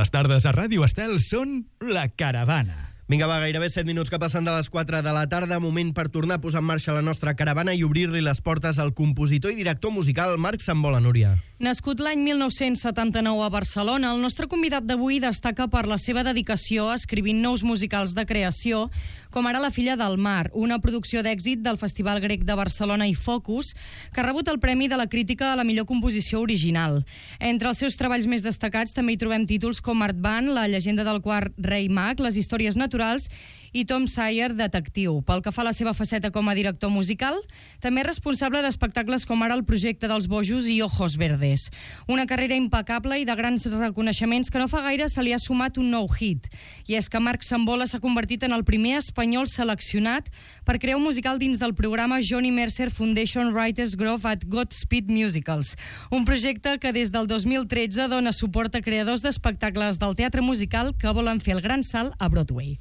Les tardes a Ràdio Estel són La Caravana. Vinga, va, gairebé 7 minuts que passen de les 4 de la tarda. Moment per tornar a posar en marxa la nostra caravana i obrir-li les portes al compositor i director musical Marc Sambola, Núria. Nascut l'any 1979 a Barcelona, el nostre convidat d'avui destaca per la seva dedicació escrivint nous musicals de creació, com ara La filla del mar, una producció d'èxit del Festival Grec de Barcelona i Focus, que ha rebut el Premi de la Crítica a la millor composició original. Entre els seus treballs més destacats també hi trobem títols com Art Band, La llegenda del quart rei mag, Les històries naturals i Tom Sawyer, detectiu. Pel que fa a la seva faceta com a director musical, també és responsable d'espectacles com ara el Projecte dels Bojos i Ojos Verdes. Una carrera impecable i de grans reconeixements que no fa gaire se li ha sumat un nou hit. I és que Marc Sambola s'ha convertit en el primer espanyol seleccionat per crear un musical dins del programa Johnny Mercer Foundation Writers Grove at Godspeed Musicals, un projecte que des del 2013 dona suport a creadors d'espectacles del teatre musical que volen fer el gran salt a Broadway.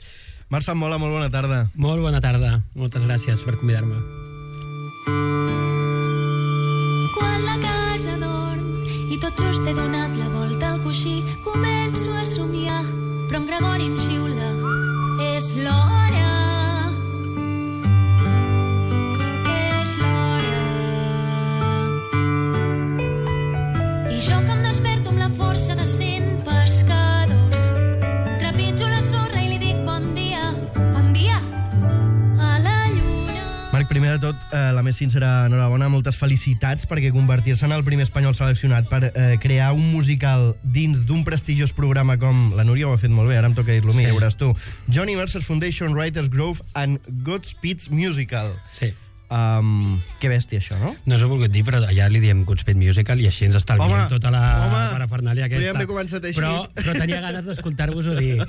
Marc Sambola, molt bona tarda. Molt bona tarda. Moltes gràcies per convidar-me. Quan la casa dorm i tot just he donat la volta al coixí, començo a somiar, però en Gregori em xiula. És l'hora. És l'hora. I jo que em desperto amb la força de 100 pescadors, trepitjo la sorra i li dic bon dia a la lluna. Marc, primer de tot, la més sincera enhorabona, moltes felicitats, perquè convertir-se en el primer espanyol seleccionat per crear un musical dins d'un prestigiós programa com la Núria ho ha fet molt bé, ara em toca dir-lo a mi, ja veuràs tu. Johnny Mercer Foundation Writers Grove and Godspeed Musical. Sí. Que bèstia, això, no? No us ho he volgut dir, però allà li diem Godspeed Musical i així ens estalviem tota la parafernàlia aquesta. Podríem haver començat així. Però tenia ganes d'escoltar-vos-ho dir,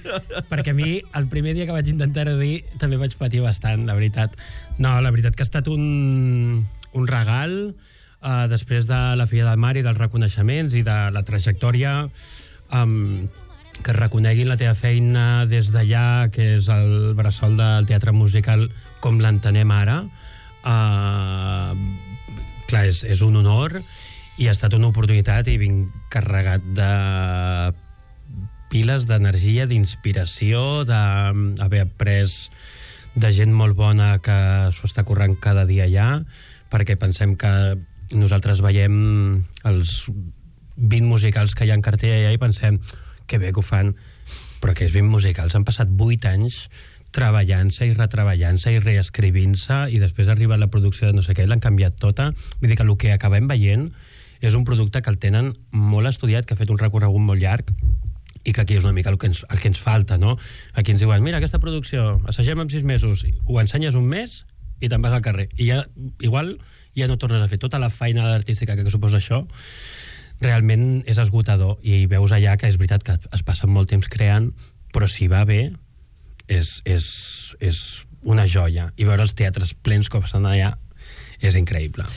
perquè a mi, el primer dia que vaig intentar-ho dir, també vaig patir bastant, la veritat. No, la veritat que ha estat un regal, després de La filla del mar i dels reconeixements i de la trajectòria, que reconeguin la teva feina des d'allà, que és el bressol del teatre musical com l'entenem ara. Clar, és un honor i ha estat una oportunitat i vinc carregat de piles d'energia, d'inspiració, d'haver après de gent molt bona que s'ho està currant cada dia allà, perquè pensem que nosaltres veiem els 20 musicals que hi ha en cartell allà i pensem que bé que ho fan, però aquests 20 musicals han passat 8 anys treballant-se i retreballant-se i reescrivint-se, i després arriba la producció de no sé què, l'han canviat tota. Vull dir que el que acabem veient és un producte que el tenen molt estudiat, que ha fet un recorregut molt llarg, i que aquí és una mica el que ens falta, no? Aquí ens diuen, mira, aquesta producció, assagem en 6 mesos, ho ensenyes un mes i te'n vas al carrer. I ja, igual, ja no tornes a fer tota la feina artística que suposa això. Realment és esgotador, i veus allà que és veritat que es passen molt temps creant, però si va bé, és una joia, i veure els teatres plens com estan allà és increïble.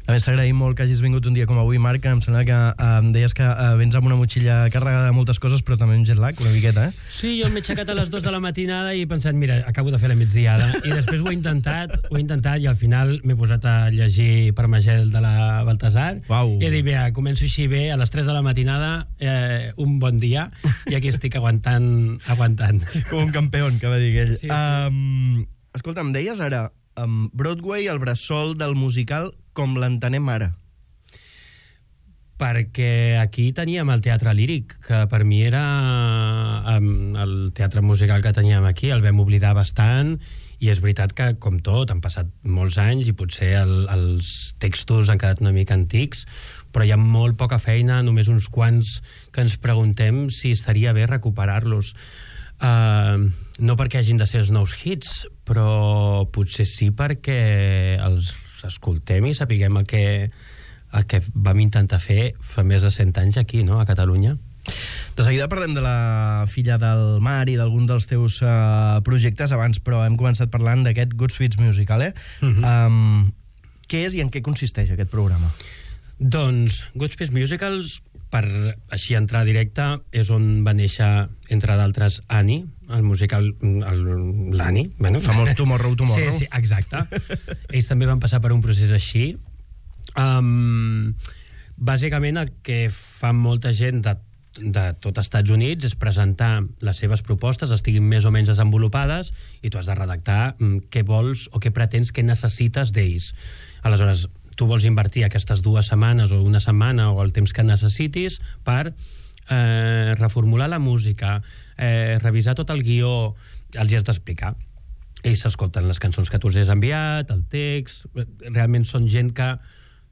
A més, t'agraïm molt que hagis vingut un dia com avui, Marc. Em sembla que em deies que vens amb una motxilla carregada de moltes coses, però també amb jet lag, una miqueta, eh? Sí, jo m'he aixecat a les 2 de la matinada i he pensat, mira, acabo de fer la migdiada, i després ho he intentat i al final m'he posat a llegir Parmagel de la Baltasar. Uau. I he dit, mira, començo així bé, a les 3 de la matinada, un bon dia, i aquí estic aguantant. Com un campió, que va dir ell. Sí. Escolta, em deies ara, Broadway, el bressol del musical com l'entenem ara. Perquè aquí teníem el teatre líric, que per mi era el teatre musical que teníem aquí, el vam oblidar bastant, i és veritat que, com tot, han passat molts anys i potser els textos han quedat una mica antics, però hi ha molt poca feina, només uns quants que ens preguntem si estaria bé recuperar-los. No perquè hagin de ser els nous hits, però potser sí perquè els escoltem i sapiguem el que vam intentar fer fa més de 100 anys aquí, no?, a Catalunya. De seguida parlem de La filla del mar i d'algun dels teus projectes abans, però hem començat parlant d'aquest Godspeed Musical, Què és i en què consisteix aquest programa? Doncs Godspeed Musicals, per així entrar directe, és on va néixer, entre d'altres, Annie, el musical, l'Annie. Bueno, famós Tomorrow, Tomorrow. Sí, exacte. Ells també van passar per un procés així. Bàsicament el que fa molta gent de de tot Estats Units és presentar les seves propostes, estiguin més o menys desenvolupades, i tu has de redactar què vols o què pretens, què necessites d'ells. Aleshores, tu vols invertir aquestes 2 setmanes o una setmana o el temps que necessitis per reformular la música, revisar tot el guió, els hi has d'explicar. Ells s'escolten les cançons que tu els has enviat, el text, realment són gent que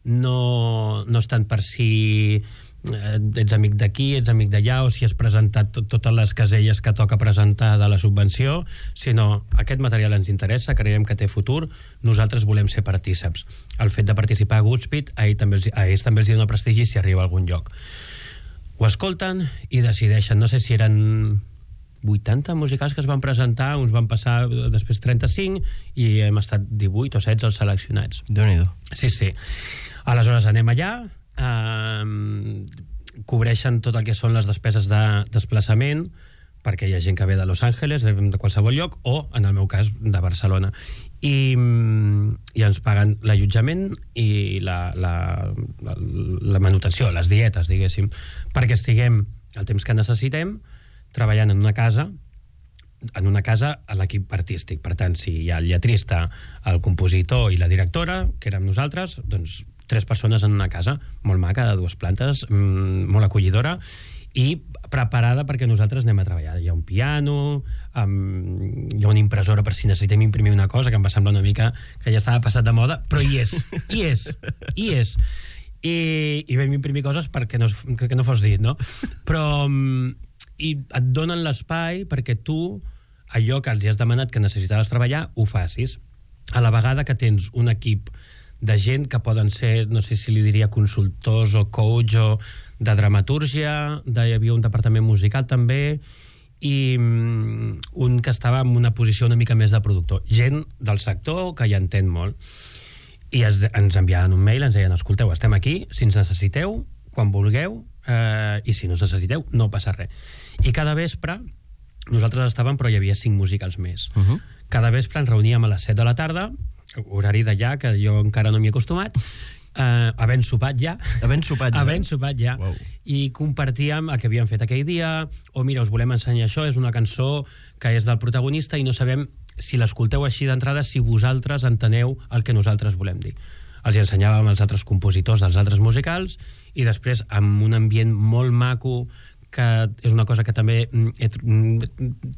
no estan per si ets amic d'aquí, ets amic d'allà, o si has presentat totes les caselles que toca presentar de la subvenció, sinó aquest material ens interessa, creiem que té futur, nosaltres volem ser partíceps. El fet de participar a Goodspeed a ells també els dona prestigi si arriba a algun lloc. Ho escolten i decideixen, no sé si eren 80 musicals que es van presentar, uns van passar després 35 i hem estat 18 o 16 els seleccionats. Déu-n'hi-do. Sí. Aleshores anem allà, cobreixen tot el que són les despeses de desplaçament, perquè hi ha gent que ve de Los Angeles, de qualsevol lloc, o, en el meu cas, de Barcelona. I ens paguen l'allotjament i la manutenció, les dietes, diguéssim, perquè estiguem el temps que necessitem treballant en una casa a l'equip artístic. Per tant, si hi ha el lletrista, el compositor i la directora, que érem nosaltres, doncs 3 persones en una casa, molt maca, de 2 plantes, molt acollidora, i preparada perquè nosaltres anem a treballar. Hi ha un piano, hi ha una impressora per si necessitem imprimir una cosa, que em va semblar una mica que ja estava passat de moda, però hi és. I vam imprimir coses perquè no fos dit, no? Però i et donen l'espai perquè tu, allò que els has demanat que necessitaves treballar, ho facis. A la vegada que tens un equip de gent que poden ser, no sé si li diria consultors o coach o de dramatúrgia, hi havia un departament musical també, i un que estava en una posició una mica més de productor. Gent del sector que hi entén molt. I ens enviaven un mail, ens deien, escolteu, estem aquí, si ens necessiteu, quan vulgueu, i si no ens necessiteu, no passa res. I cada vespre, nosaltres estàvem, però hi havia 5 musicals més. Cada vespre ens reuníem a les 7 de la tarda, horari d'allà, que jo encara no m'hi he acostumat, havent sopat ja. Wow. I compartíem el que havíem fet aquell dia, o mira, us volem ensenyar això, és una cançó que és del protagonista i no sabem si l'escolteu així d'entrada, si vosaltres enteneu el que nosaltres volem dir. Els ensenyàvem als altres compositors dels altres musicals i després, amb un ambient molt maco, que és una cosa que també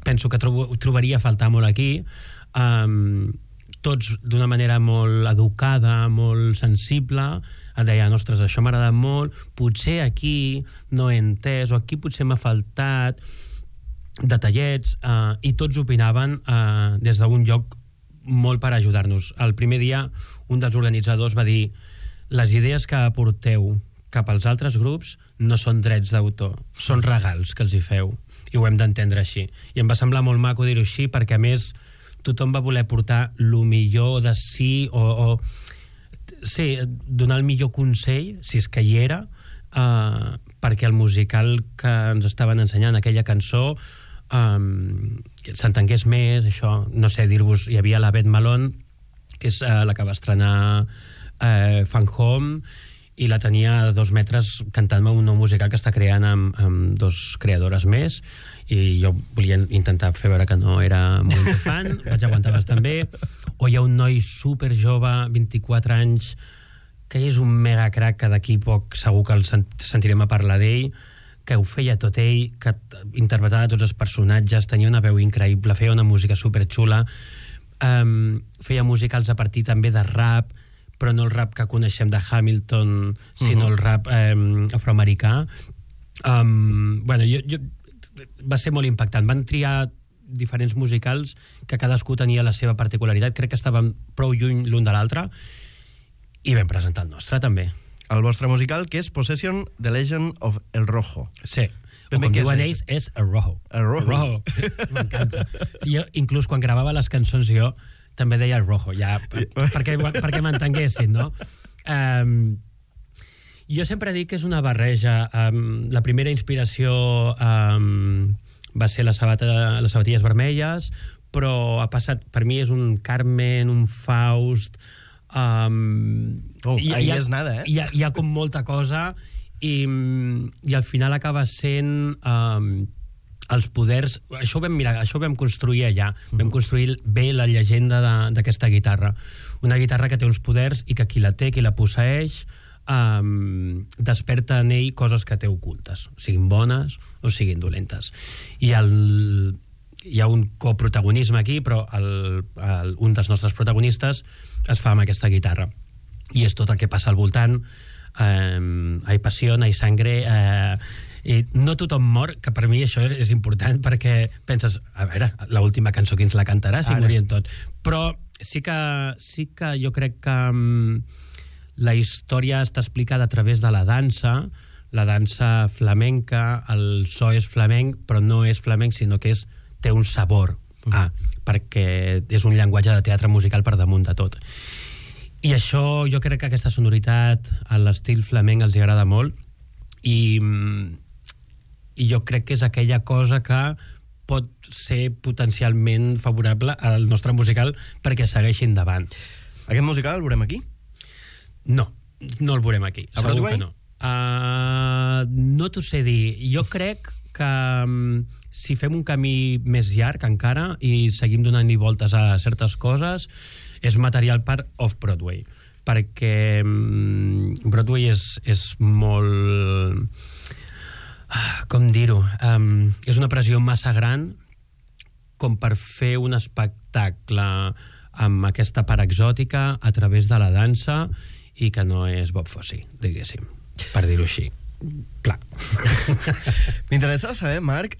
penso que trobaria a faltar molt aquí, tots d'una manera molt educada, molt sensible, et deien, ostres, això m'ha agradat molt, potser aquí no he entès, o aquí potser m'ha faltat detallets, i tots opinaven des d'un lloc molt per ajudar-nos. El primer dia, un dels organitzadors va dir, les idees que aporteu cap als altres grups no són drets d'autor, són regals que els hi feu, i ho hem d'entendre així. I em va semblar molt maco dir-ho així, perquè a més tothom va voler portar lo millor de si, sí, donar el millor consell, si és que hi era, perquè el musical que ens estaven ensenyant, aquella cançó, s'entengués més, això, no sé dir-vos, hi havia la Beth Malone, que és la que va estrenar Fan Home, i la tenia a 2 metres cantant-me un nou musical que està creant amb 2 creadores més, i jo volia intentar fer veure que no era molt fan, vaig aguantar bastant bé. O hi ha un noi super jove, 24 anys, que és un mega crack, que d'aquí poc segur que el sentirem a parlar d'ell, que ho feia tot ell, que interpretava tots els personatges, tenia una veu increïble, feia una música superxula, feia musicals a partir també de rap, però no el rap que coneixem de Hamilton, sinó el rap afroamericà. Bueno, va ser molt impactant. Van triar diferents musicals que cadascú tenia la seva particularitat. Crec que estaven prou lluny l'un de l'altre, i vam presentar el nostre també. El vostre musical, que és Possession, The Legend of El Rojo. Sí. O com diuen ells, és El Rojo. El Rojo. M'encanta. Jo, inclús quan gravava les cançons, jo també deia El Rojo, ja, perquè m'entenguessin, no? Jo sempre dic que és una barreja. La primera inspiració va ser les sabatilles vermelles, però ha passat, per mi és un Carmen, un Faust... ahí és nada, Hi ha com molta cosa, i al final acaba sent els poders... Això ho vam construir allà. Vam construir bé la llegenda d'aquesta guitarra. Una guitarra que té uns poders i que qui la té, qui la posseeix, desperta en ell coses que té ocultes, siguin bones o siguin dolentes. I hi ha un coprotagonisme aquí, però un dels nostres protagonistes es fa amb aquesta guitarra. I és tot el que passa al voltant. Hay passió, hay sangre... I no tothom mor, que per mi això és important, perquè penses, a veure, l'última cançó qui ens la cantarà si morien tot. Però sí que jo crec que la història està explicada a través de la dansa flamenca, el so és flamenc, però no és flamenc, sinó que té un sabor, perquè és un llenguatge de teatre musical per damunt de tot. I això, jo crec que aquesta sonoritat a l'estil flamenc els agrada molt, i jo crec que és aquella cosa que pot ser potencialment favorable al nostre musical perquè segueixi endavant. Aquest musical el veurem aquí? No el veurem aquí. A Broadway? Segur que no. No t'ho sé dir. Jo crec que si fem un camí més llarg encara i seguim donant-hi voltes a certes coses, és material per Off-Broadway, perquè Broadway és molt... com dir-ho? És una pressió massa gran com per fer un espectacle amb aquesta part exòtica a través de la dansa i que no és Bob Fosse, diguéssim, per dir-ho així. Clar. M'interessa saber, Marc,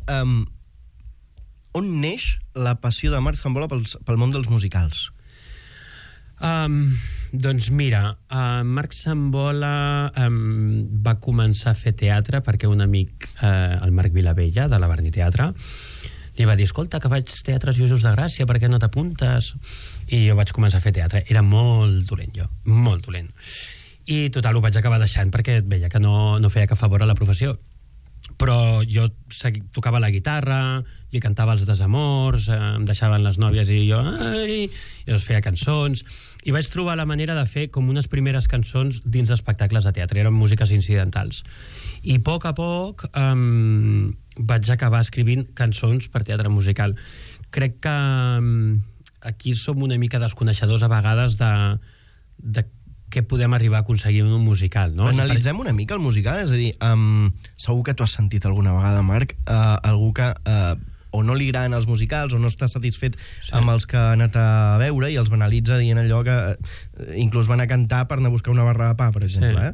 on neix la passió de Marc Sambola pel món dels musicals? Doncs mira, Marc Sambola va començar a fer teatre perquè un amic, el Marc Vilavella, de la Barni Teatre, li va dir, escolta, que faig teatres Jesús de Gràcia, per què no t'apuntes? I jo vaig començar a fer teatre. Era molt dolent, jo, molt dolent. I total, ho vaig acabar deixant perquè veia que no feia cap favor a la professió. Però jo tocava la guitarra, li cantava els desamors, em deixaven les nòvies i jo els feia cançons, i vaig trobar la manera de fer com unes primeres cançons dins d'espectacles de teatre, eren músiques incidentals. I a poc vaig acabar escrivint cançons per teatre musical. Crec que aquí som una mica desconeixedors a vegades de què podem arribar a aconseguir en un musical, no? Analitzem una mica el musical, és a dir, segur que tu has sentit alguna vegada, Marc, algú que o no li agraden els musicals o no està satisfet amb els que ha anat a veure i els banalitza dient allò que inclús van a cantar per anar a buscar una barra de pa, per exemple.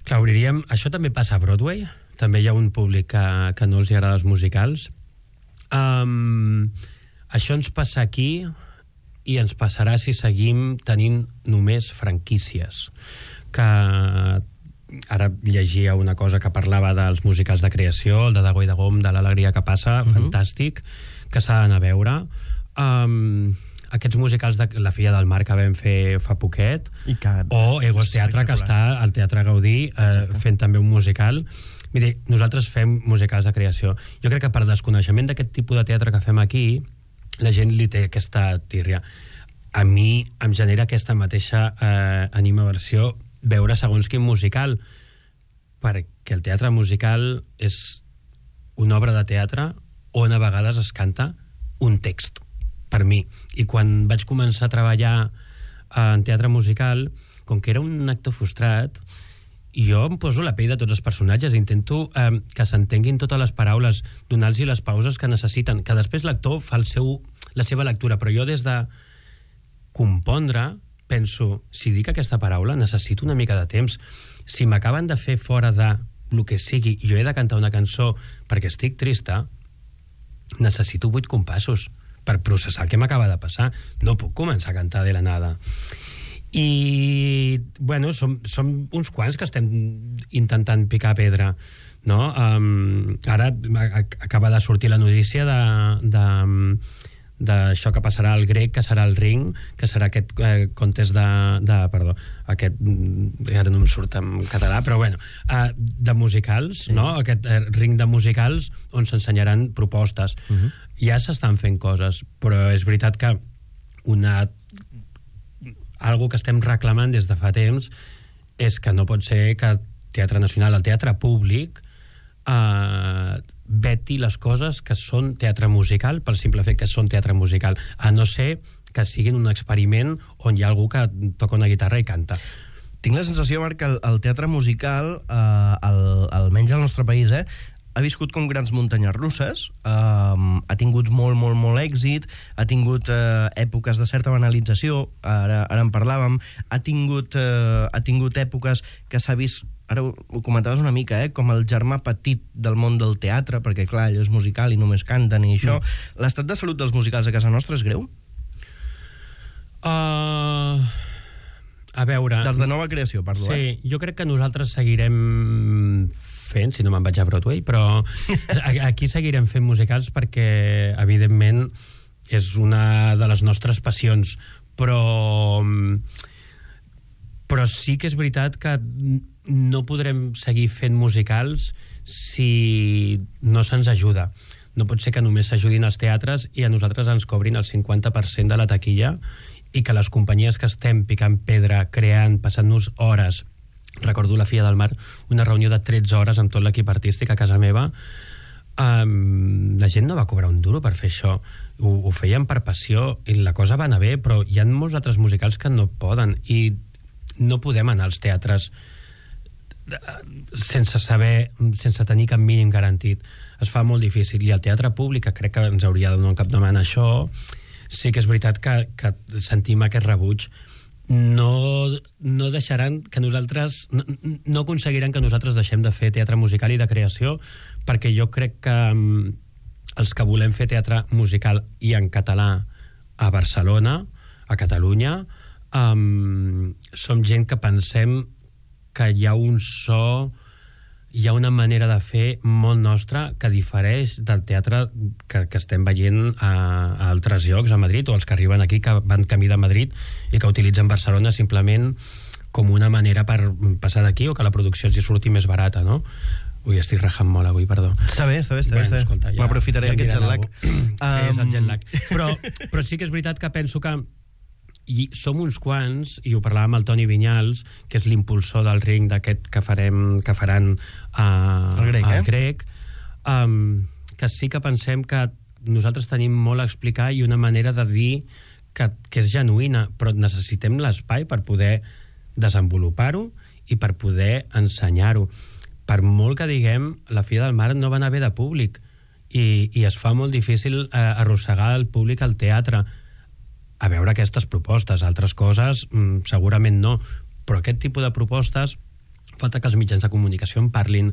Clar, diríem, això també passa a Broadway, també hi ha un públic que no els agrada els musicals. Això ens passa aquí i ens passarà si seguim tenint només franquícies. Que ara llegia una cosa que parlava dels musicals de creació, el de Dago i Dagom, de l'Alegria que passa, fantàstic, que s'ha d'anar a veure. Aquests musicals de La filla del mar que vam fer fa poquet, o Egos Teatre, que està al Teatre Gaudí fent també un musical. Miri, nosaltres fem musicals de creació. Jo crec que per desconeixement d'aquest tipus de teatre que fem aquí, la gent li té aquesta tírria. A mi em genera aquesta mateixa animaversió veure segons quin musical, perquè el teatre musical és una obra de teatre on a vegades es canta un text, per mi. I quan vaig començar a treballar en teatre musical, com que era un actor frustrat, jo em poso la pell de tots els personatges, intento que s'entenguin totes les paraules, donar-los les pauses que necessiten, que després l'actor fa la seva lectura, però jo des de compondre penso, si dic aquesta paraula necessito una mica de temps. Si m'acaben de fer fora de el que sigui i jo he de cantar una cançó perquè estic trista, necessito 8 compassos per processar el que m'acaba de passar. No puc començar a cantar de la nada. I, bueno, som uns quants que estem intentant picar pedra, no? Ara acaba de sortir la notícia d'això que passarà al Grec, que serà el Ring, que serà aquest contest aquest, ara no em surt en català, però bueno, de musicals, sí. No? Aquest Ring de musicals on s'ensenyaran propostes. Ja s'estan fent coses, però és veritat que algo que estem reclamant des de fa temps és que no pot ser que Teatre Nacional, el teatre públic, veti les coses que són teatre musical pel simple fet que són teatre musical, a no ser que siguin un experiment on hi ha algú que toca una guitarra i canta. Tinc la sensació, Marc, que el teatre musical, almenys al nostre país, ha viscut com grans muntanyes russes, ha tingut molt èxit, ha tingut èpoques de certa banalització, ara en parlàvem, ha tingut èpoques que s'ha vist, ara ho comentaves una mica, com el germà petit del món del teatre, perquè clar, allò és musical i només canten i això. L'estat de salut dels musicals a casa nostra és greu? A veure... Dels de nova creació, parlo, Sí, jo crec que nosaltres seguirem fent, si no me'n vaig a Broadway, però aquí seguirem fent musicals perquè, evidentment, és una de les nostres passions, però sí que és veritat que no podrem seguir fent musicals si no se'ns ajuda. No pot ser que només s'ajudin els teatres i a nosaltres ens cobrin el 50% de la taquilla i que les companyies que estem picant pedra, creant, passant-nos hores. Recordo la Filla del Mar, una reunió de 13 hores amb tot l'equip artístic a casa meva. La gent no va cobrar un duro per fer això. Ho feien per passió i la cosa va anar bé, però hi ha molts altres musicals que no poden i no podem anar als teatres sense tenir cap mínim garantit. Es fa molt difícil i el teatre públic, que crec que ens hauria de donar un capdavant a això, sí que és veritat que sentim aquest rebuig. No deixaran que nosaltres no aconseguiran que nosaltres deixem de fer teatre musical i de creació, perquè jo crec que els que volem fer teatre musical i en català a Barcelona, a Catalunya, som gent que pensem que hi ha un so, hi ha una manera de fer molt nostra que difereix del teatre que estem veient a altres llocs, a Madrid, o els que arriben aquí, que van camí de Madrid i que utilitzen Barcelona simplement com una manera per passar d'aquí o que la producció els hi surti més barata, no? Ui, estic rajant molt avui, perdó. Està bé. Bueno, escolta, ja, m'aprofitaré d'aquest jet lag. Sí, és el jet lag. Però sí que és veritat que penso que som uns quants, i ho parlàvem amb el Toni Vinyals, que és l'impulsor del ring d'aquest que faran al Grec, que sí que pensem que nosaltres tenim molt a explicar i una manera de dir que és genuïna, però necessitem l'espai per poder desenvolupar-ho i per poder ensenyar-ho. Per molt que diguem, la Filla del Mar no va anar bé de públic i es fa molt difícil arrossegar el públic al teatre a veure aquestes propostes. Altres coses segurament no, però aquest tipus de propostes falta que els mitjans de comunicació en parlin,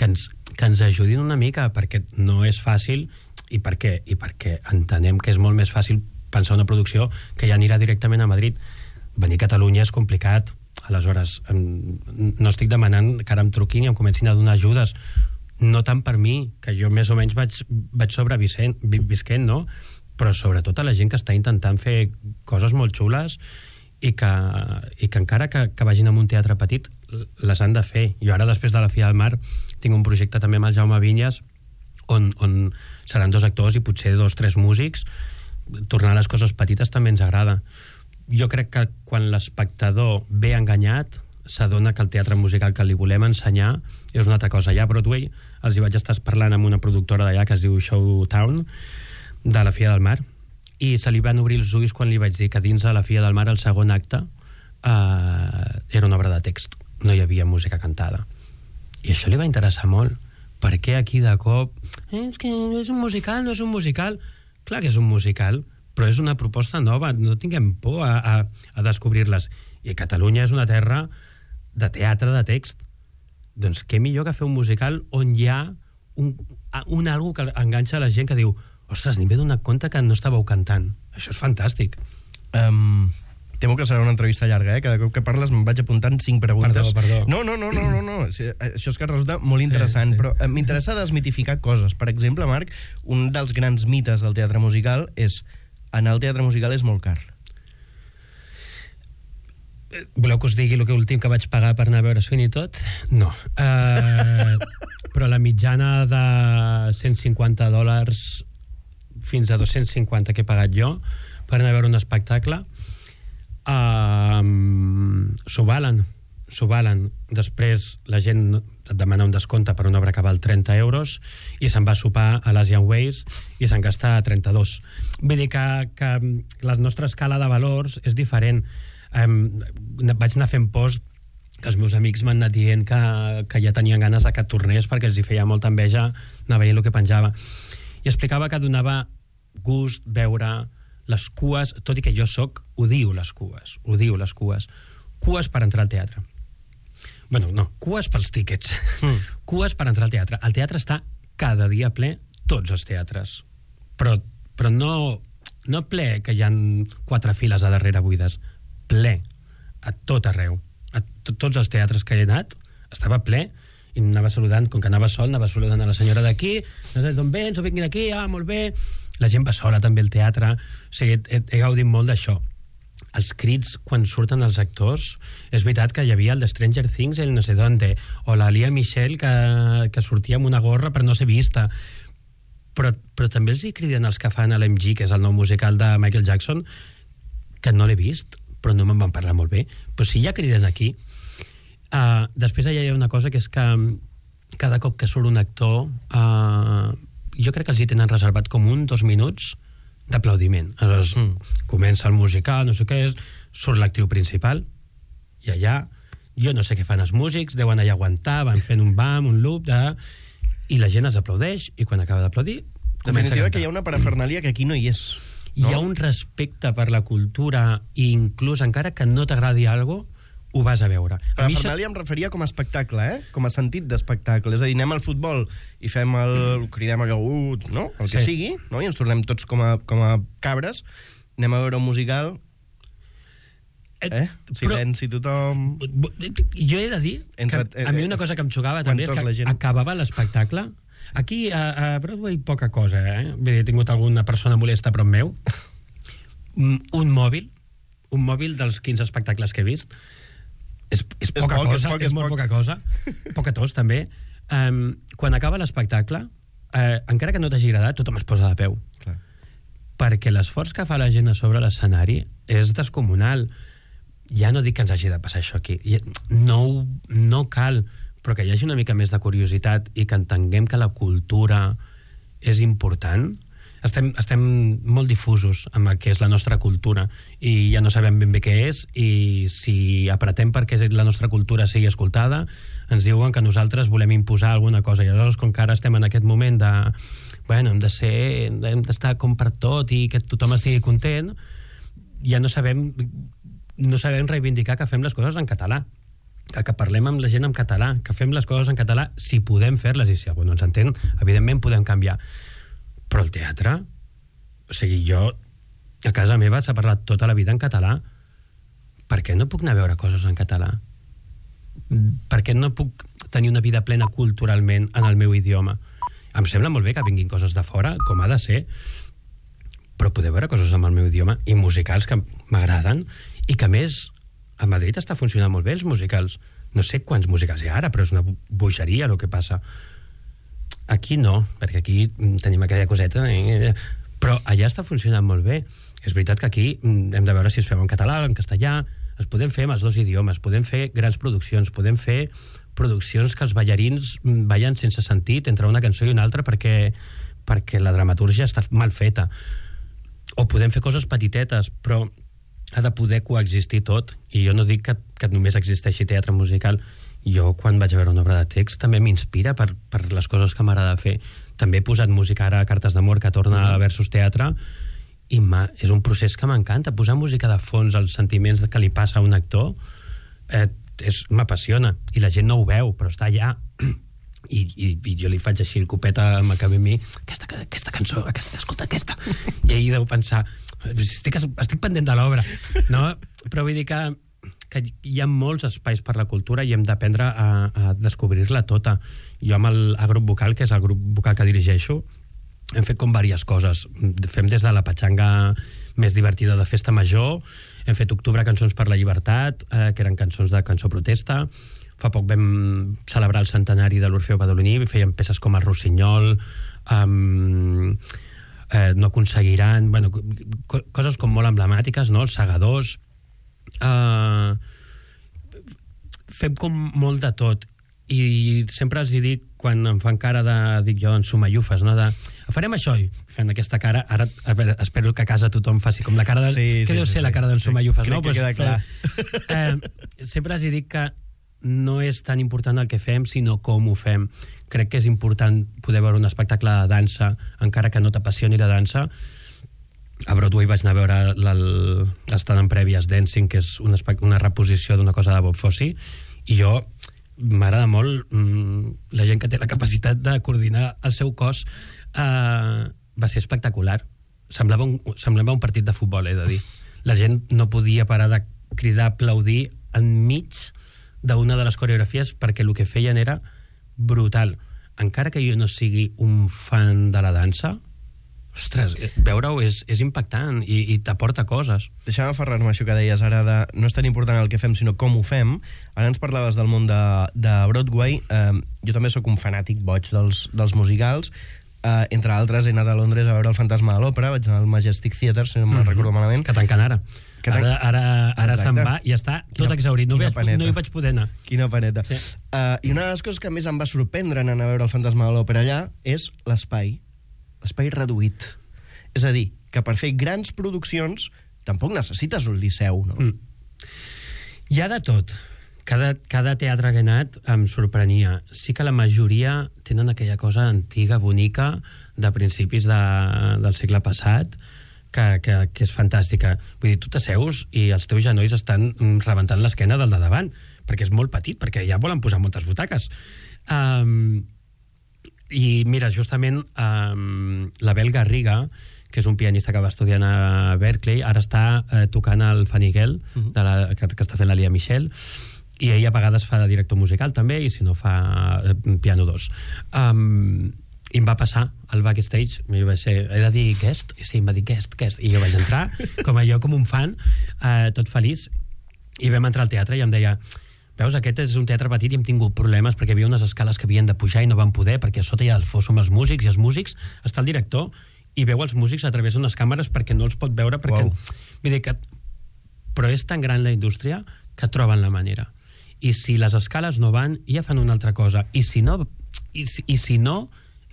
que ens ajudin una mica, perquè no és fàcil i perquè entenem que és molt més fàcil pensar una producció que ja anirà directament a Madrid. Venir a Catalunya és complicat. Aleshores, no estic demanant que ara em truquin i em comencin a donar ajudes, no tant per mi, que jo més o menys vaig sobrevisquent, no? Però sobretot a la gent que està intentant fer coses molt xules i que encara que vagin a un teatre petit les han de fer. Jo ara, després de la Filla del Mar, tinc un projecte també amb el Jaume Vinyes on seran 2 actors i potser 2 o 3 músics. Tornar a les coses petites també ens agrada. Jo crec que quan l'espectador ve enganyat s'adona que el teatre musical que li volem ensenyar és una altra cosa. Allà a Broadway els hi vaig estar parlant amb una productora d'allà que es diu Showtown, de la Filla del Mar, i se li van obrir els ulls quan li vaig dir que dins de la Filla del Mar el segon acte era una obra de text, no hi havia música cantada, i això li va interessar molt. Per què aquí de cop és que és un musical, no és un musical? Clar que és un musical, però és una proposta nova, no tinguem por a descobrir-les, i Catalunya és una terra de teatre de text. Doncs què millor que fer un musical on hi ha un algo que enganxa la gent, que diu: ostres, ni m'he donat compte que no estàveu cantant. Això és fantàstic. Temo que serà una entrevista llarga, Cada cop que parles me'n vaig apuntant 5 preguntes. Perdó. No. Això és que resulta molt interessant, sí. Però m'interessa desmitificar coses. Per exemple, Marc, un dels grans mites del teatre musical és: anar al teatre musical és molt car. Voleu que us digui el últim que vaig pagar per anar a veure Sweeney Todd? No. Però la mitjana de $150 fins a 250 que he pagat jo per anar a veure un espectacle s'ho valen. s'ho valen. Després la gent et demana un descompte per una obra que val 30 euros i se'n va a sopar a l'Asian Ways i se'n gasta 32. Vull dir que la nostra escala de valors és diferent. Vaig anar fent post que els meus amics m'han anat dient que ja tenien ganes que tornés perquè els hi feia molta enveja anar veient el que penjava. I explicava que donava gust veure les cues, tot i que jo odio les cues. Cues per entrar al teatre. Bueno, no, cues pels tíquets. Cues per entrar al teatre. El teatre està cada dia ple, tots els teatres. Però no ple que hi ha 4 files a darrere buides. Ple, a tot arreu. A tots els teatres que he anat, estava ple, i anava saludant, com que anava sol, anava saludant a la senyora d'aquí, no sé d'on vens, o vinc d'aquí, molt bé. La gent va sola també al teatre. O sigui, he gaudit molt d'això. Els crits quan surten els actors, és veritat que hi havia el de Stranger Things, el no sé d'onde, o la Lea Michele que sortia amb una gorra per no ser vista, però també els hi criden els que fan l'MG, que és el nou musical de Michael Jackson, que no l'he vist, però no me'n van parlar molt bé. Però si ja criden aquí. Després allà hi ha una cosa que és que cada cop que surt un actor jo crec que els hi tenen reservat com 2 minuts d'aplaudiment. Aleshores, comença el musical, no sé què és, surt l'actriu principal, i allà, jo no sé què fan els músics, deuen allà aguantar, van fent un bam, un loop, i la gent els aplaudeix, i quan acaba d'aplaudir, comença a cantar. Que hi ha una parafernàlia que aquí no hi és. No? Hi ha un respecte per la cultura, i inclús encara que no t'agradi alguna cosa, ho vas a veure. Parafernàlia em referia com a espectacle, com a sentit d'espectacle. És a dir, anem al futbol i fem cridem no? El que sigui, no? I ens tornem tots com a cabres, anem a veure un musical, silenci tothom... Jo he de dir que a mi una cosa que em xocava també és que acabava l'espectacle. Aquí a Broadway poca cosa, Vull dir, he tingut alguna persona molesta prop meu. Un mòbil dels 15 espectacles que he vist és poca cosa, és molt poca cosa. Poca tos, també. Quan acaba l'espectacle, encara que no t'hagi agradat, tothom es posa de peu. Clar. Perquè l'esforç que fa la gent a sobre l'escenari és descomunal. Ja no dic que ens hagi de passar això aquí. No cal, però que hi hagi una mica més de curiositat i que entenguem que la cultura és important. Estem molt difusos amb el que és la nostra cultura i ja no sabem ben bé què és, i si apretem perquè la nostra cultura sigui escoltada, ens diuen que nosaltres volem imposar alguna cosa, i aleshores com que ara estem en aquest moment hem d'estar com per tot i que tothom estigui content, ja no sabem reivindicar que fem les coses en català, que parlem amb la gent en català, que fem les coses en català si podem fer-les, i si algú no ens entén, evidentment podem canviar. Però el teatre, o sigui, jo a casa meva s'ha parlat tota la vida en català. Per què no puc anar a veure coses en català? Per què no puc tenir una vida plena culturalment en el meu idioma? Em sembla molt bé que vinguin coses de fora, com ha de ser, però poder veure coses en el meu idioma i musicals que m'agraden, i que a més a Madrid està funcionant molt bé els musicals. No sé quants musicals hi ha ara, però és una bogeria el que passa. Aquí no, perquè aquí tenim aquella coseta, però allà està funcionant molt bé. És veritat que aquí hem de veure si es fem en català o en castellà, es podem fer amb els 2 idiomes, podem fer grans produccions, podem fer produccions que els ballarins ballen sense sentit entre una cançó i una altra perquè la dramatúrgia està mal feta. O podem fer coses petitetes, però ha de poder coexistir tot. I jo no dic que només existeixi teatre musical. Jo, quan vaig a veure una obra de text, també m'inspira per les coses que m'agrada fer. També he posat música ara a Cartes d'amor, que torna a Versus Teatre, i és un procés que m'encanta. Posar música de fons als sentiments que li passa a un actor m'apassiona, i la gent no ho veu, però està allà. I jo li faig així el copet amb el camí, aquesta cançó, escolta aquesta. I ahir deu pensar, estic pendent de l'obra, no? Però vull dir que hi ha molts espais per la cultura i hem d'aprendre a descobrir-la tota. Jo amb el grup vocal, que és el grup vocal que dirigeixo, hem fet com diverses coses. Fem des de la patxanga més divertida de festa major, hem fet Octubre Cançons per la Llibertat, que eren cançons de cançó protesta. Fa poc vam celebrar el centenari de l'Orfeo Badaloní, fèiem peces com el Rossinyol, No aconseguiran, coses com molt emblemàtiques, no? Els Segadors. fem com molt de tot. I sempre els dic, quan em fan cara de, dic jo, en sumallufes, no? Farem això, i fent aquesta cara, ara a veure, espero que a casa tothom faci com la cara de... Què deu ser la cara d'en sumallufes, no? Crec que queda clar. Sempre els dic que no és tan important el que fem, sinó com ho fem. Crec que és important poder veure un espectacle de dansa, encara que no t'apassioni la dansa. A Broadway vaig anar a veure l'estat en prèvies Dancing, que és una reposició d'una cosa de Bob Fosse, i jo m'agrada molt la gent que té la capacitat de coordinar el seu cos. Va ser espectacular. Semblava un partit de futbol, he de dir. La gent no podia parar de cridar, aplaudir enmig d'una de les coreografies, perquè el que feien era brutal. Encara que jo no sigui un fan de la dansa, ostres, veure-ho és impactant i t'aporta coses. Deixa'm aferrar-me això que deies ara de no és tan important el que fem, sinó com ho fem. Ara ens parlaves del món de Broadway. Jo també sóc un fanàtic boig dels musicals. Entre altres, he anat a Londres a veure el Fantasma de l'Òpera, vaig anar al Majestic Theatre, si no me'n recordo malament. Que tanquen ara. Ara se'n va i està tot exhaurit. No hi vaig poder anar. Quina paneta. Sí. I una de les coses que més em va sorprendre en anar a veure el Fantasma de l'Òpera allà és l'espai reduït. És a dir, que per fer grans produccions tampoc necessites un liceu, no? Hi ha de tot. Cada teatre que he anat em sorprenia. Sí que la majoria tenen aquella cosa antiga, bonica, de principis del segle passat, que és fantàstica. Vull dir, tu t'asseus i els teus genolls estan rebentant l'esquena del de davant, perquè és molt petit, perquè ja volen posar moltes butaques. I mira, justament l'Abel Garriga, que és un pianista que va estudiar a Berkeley, ara està tocant el Fanigel, que està fent la Lia Michel, i ell a vegades fa de director musical també, i si no fa piano 2. I em va passar al backstage, i vaig ser, he de dir guest? I sí, em va dir guest, i jo vaig entrar com un fan, tot feliç, i vam entrar al teatre i em deia, veus, aquest és un teatre petit i hem tingut problemes perquè hi havia unes escales que havien de pujar i no van poder, perquè a sota ja som els músics, i els músics està el director i veu els músics a través d'unes càmeres perquè no els pot veure, perquè... Vull dir que... Però és tan gran la indústria que troben la manera. I si les escales no van, ja fan una altra cosa. I si no,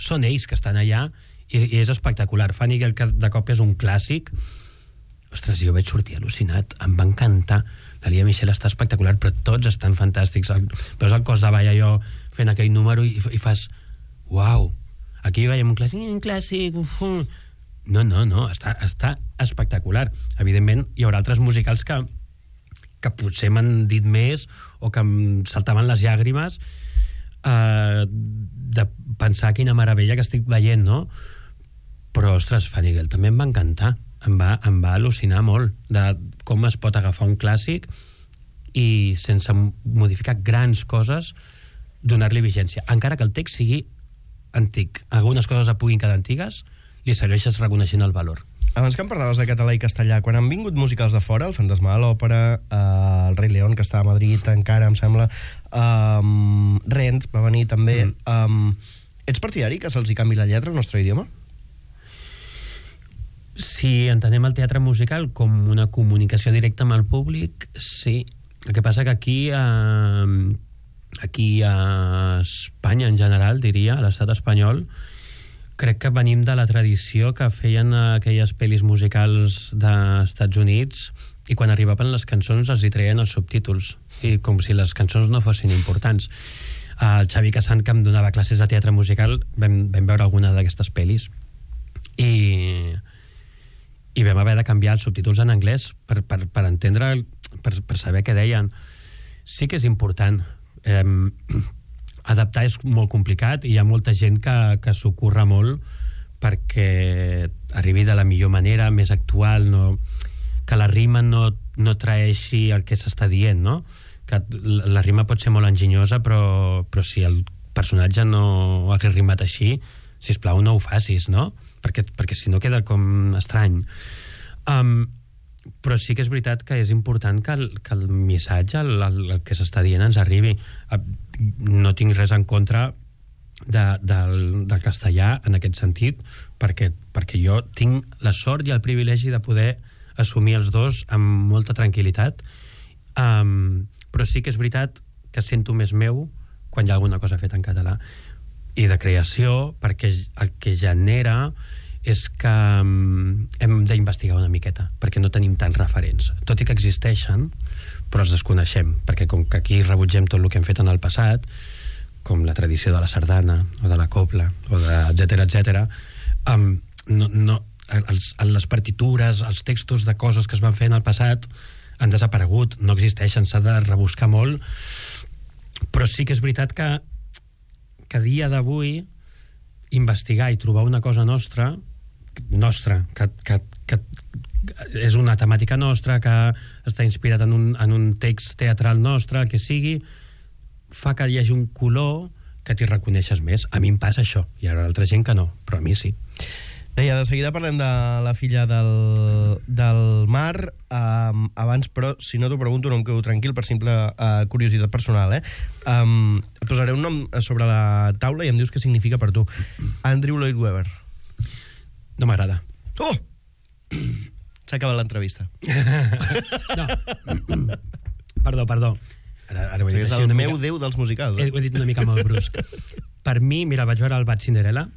són ells que estan allà i és espectacular. Fanny, que de cop és un clàssic. Ostres, jo vaig sortir al·lucinat. Em va encantar. La Lia Michel està espectacular, però tots estan fantàstics. Veus el cos de ball allò fent aquell número i fas... Uau! Aquí veiem un clàssic... No, està espectacular. Evidentment, hi haurà altres musicals que potser m'han dit més o que em saltaven les llàgrimes de pensar quina meravella que estic veient, no? Però, ostres, Fanny Gell també em va encantar. Em va al·lucinar molt de com es pot agafar un clàssic i sense modificar grans coses donar-li vigència. Encara que el text sigui antic. Algunes coses puguin quedar antigues, li segueixes reconeixent el valor. Abans que em parlaves de català i castellà, quan han vingut musicals de fora, el Fantasma de l'Òpera, el Rei León, que està a Madrid encara, em sembla, Rent va venir també, ets partidari que se'ls hi canvi la lletra al nostre idioma? Si entenem el teatre musical com una comunicació directa amb el públic, sí. El que passa que aquí a Espanya en general, diria, a l'estat espanyol, crec que venim de la tradició que feien aquelles pel·lis musicals dels Estats Units i quan arribaven les cançons els hi treien els subtítols, i com si les cançons no fossin importants. El Xavi Casant, que em donava classes de teatre musical, vam veure alguna d'aquestes pel·lis i vam haver de canviar els subtítols en anglès per entendre, per saber què deien. Sí que és important. Adaptar és molt complicat i hi ha molta gent que s'ho curra molt perquè arribi de la millor manera, més actual, que la rima no traeixi el que s'està dient, no? Que la rima pot ser molt enginyosa, però si el personatge no hagués rimat així, sisplau, no ho facis, no? Perquè si no queda com estrany. Però sí que és veritat que és important que el missatge, el que s'està dient, ens arribi. No tinc res en contra del castellà en aquest sentit, perquè jo tinc la sort i el privilegi de poder assumir els dos amb molta tranquil·litat, però sí que és veritat que sento més meu quan hi ha alguna cosa feta en català. I de creació, perquè el que genera és que hem d'investigar una miqueta, perquè no tenim tants referents. Tot i que existeixen, però els desconeixem, perquè com que aquí rebutgem tot el que hem fet en el passat, com la tradició de la sardana, o de la copla, o de etcètera, les partitures, els textos de coses que es van fer en el passat han desaparegut, no existeixen, s'ha de rebuscar molt, però sí que és veritat que a dia d'avui investigar i trobar una cosa nostra, que és una temàtica nostra, que està inspirat en un text teatral nostre, el que sigui, fa que hi hagi un color que t'hi reconeixes més. A mi em passa això, hi ha altra gent que no, però a mi sí. Deia, de seguida parlem de la filla del Mar. Abans, però, si no t'ho pregunto, no em quedo tranquil per simple curiositat personal. Et posaré un nom sobre la taula i em dius què significa per tu. Andrew Lloyd Webber. No m'agrada. Oh! S'ha acabat l'entrevista. No. Perdó. Ara ho he dit és el meu déu dels musicals. Ho he dit una mica molt brusc. Per mi, mira, vaig veure el Bad Cinderella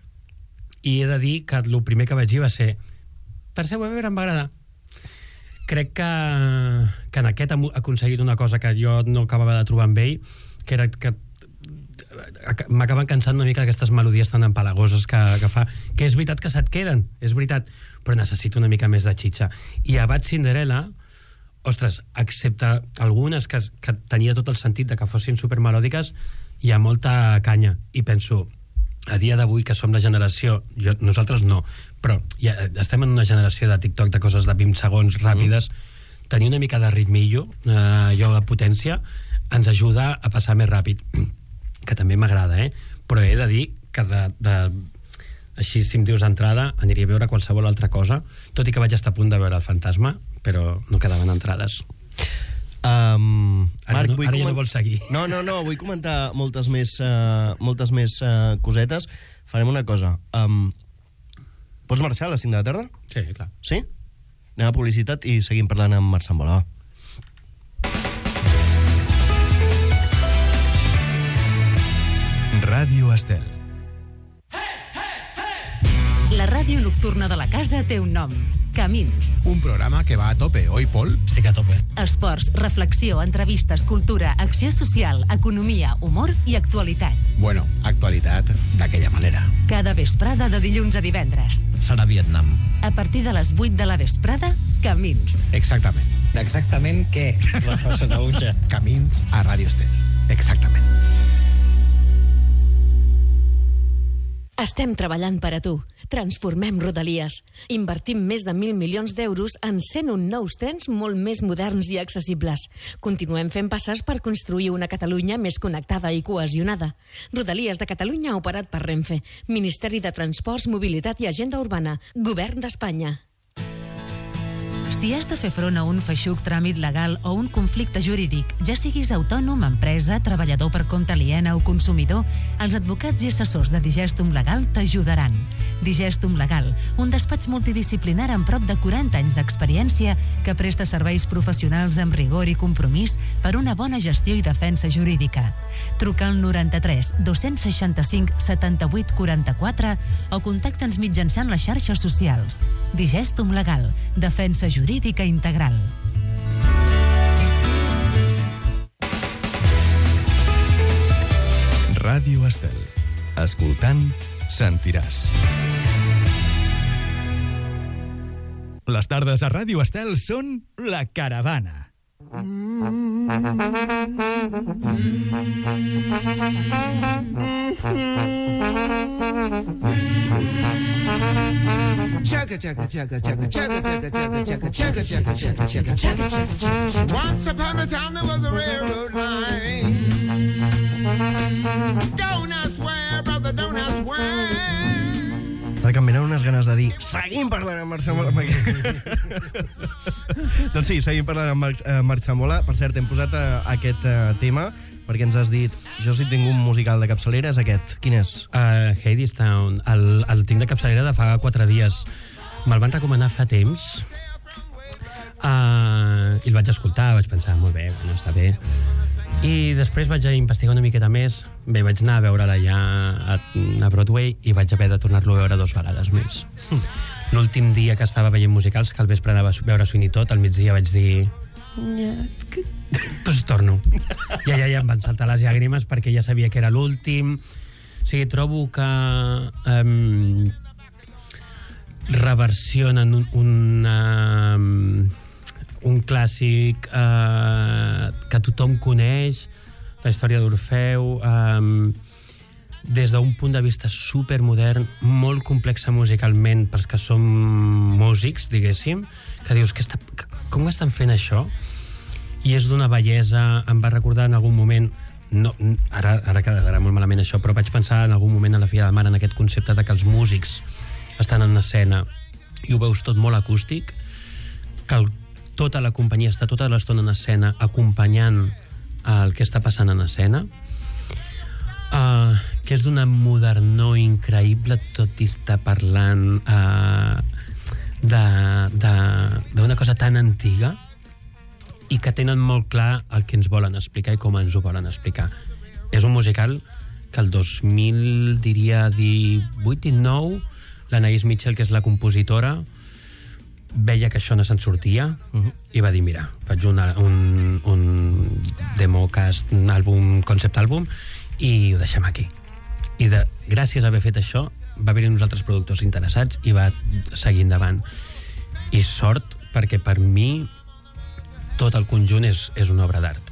i he de dir que el primer que vaig dir va ser Tercer Weber em va agradar. Crec que en aquest ha aconseguit una cosa que jo no acabava de trobar amb ell, que era que m'acaben cansant una mica aquestes melodies tan empalagoses que fa, que és veritat que se't queden, és veritat, però necessito una mica més de xitxa. I a Bad Cinderella, ostres, excepte algunes que tenia tot el sentit de que fossin supermelòdiques, hi ha molta canya, i penso, a dia d'avui, que som la generació, nosaltres no, però ja estem en una generació de TikTok, de coses de 20 segons ràpides, tenir una mica de ritmillo, allò de potència, ens ajuda a passar més ràpid, que també m'agrada, però he de dir que així, si em dius d'entrada, aniria a veure qualsevol altra cosa, tot i que vaig estar a punt de veure El Fantasma, però no quedaven entrades. Marc, ara ja no vols seguir. No, vull comentar moltes més cosetes. Farem una cosa. Pots marxar a les 5 de la tarda? Sí, clar. Sí? Anem a publicitat i seguim parlant amb Marc Sambola. Ràdio Estel. La ràdio nocturna de la casa té un nom. Camins. Un programa que va a tope, oi, Pol? Estic a tope. Esports, reflexió, entrevistes, cultura, acció social, economia, humor i actualitat. Bueno, actualitat d'aquella manera. Cada vesprada de dilluns a divendres. Serà Vietnam. A partir de les 8 de la vesprada, Camins. Exactament. Exactament què, Rafa Sanauja? Camins a Ràdio Estel. Exactament. Estem treballant per a tu. Transformem Rodalies. Invertim més de 1.000 milions d'euros en 101 nous trens molt més moderns i accessibles. Continuem fent passes per construir una Catalunya més connectada i cohesionada. Rodalies de Catalunya operat per Renfe. Ministeri de Transports, Mobilitat i Agenda Urbana. Govern d'Espanya. Si has de fer front a un feixuc tràmit legal o un conflicte jurídic, ja siguis autònom, empresa, treballador per compte aliena o consumidor, els advocats i assessors de Digestum Legal t'ajudaran. Digestum Legal, un despatx multidisciplinar amb prop de 40 anys d'experiència que presta serveis professionals amb rigor i compromís per una bona gestió i defensa jurídica. Truca al 93 265 78 44 o contacta'ns mitjançant les xarxes socials. Digestum Legal, defensa jurídica integral. Ràdio Estel. Escoltant, sentiràs. Les tardes a Ràdio Estel són La Caravana. Chugga chugga chugga chugga chugga chugga chugga chugga chugga chugga chugga chugga. Once upon a time there was a railroad line. Don't I swear, brother, don't I swear. Perquè em venen unes ganes de dir seguim parlant amb Marc Sambola. Doncs sí, seguim parlant amb Marc Sambola. Per cert, hem posat aquest tema perquè ens has dit, jo si tinc un musical de capçalera és aquest. Quin és? Hadestown. El tinc de capçalera de fa 4 dies. Me'l van recomanar fa temps i el vaig escoltar, vaig pensar, molt bé, bueno, està bé. I després vaig investigar una miqueta més. Bé, vaig anar a veure-la ja a Broadway i vaig haver de tornar-lo a veure 2 vegades més. L'últim dia que estava veient musicals, que al vespre anava a veure Sweeney Todd, al migdia vaig dir... Pues torno. Ja em van saltar les llàgrimes perquè ja sabia que era l'últim. O sigui, trobo que reversionen un clàssic que tothom coneix, la història d'Orfeu, des d'un punt de vista supermodern, molt complexa musicalment pels que som músics, diguéssim, que dius, com estan fent això? I és d'una bellesa, em va recordar en algun moment, no, ara quedarà molt malament això, però vaig pensar en algun moment a la Filla del Mar en aquest concepte de que els músics estan en escena i ho veus tot molt acústic, que tota la companyia està tota l'estona en escena acompanyant el que està passant en escena, que és d'una modernor increïble, tot i estar parlant d'una cosa tan antiga i que tenen molt clar el que ens volen explicar i com ens ho volen explicar. És un musical que el 2000, diria 18-19, l'Anaïs Mitchell, que és la compositora, veia que això no se'n sortia i va dir, mira, faig un democast, un àlbum, concept àlbum, i ho deixem aquí. I gràcies a haver fet això va haver-hi uns altres productors interessats i va seguir endavant. I sort, perquè per mi tot el conjunt és una obra d'art.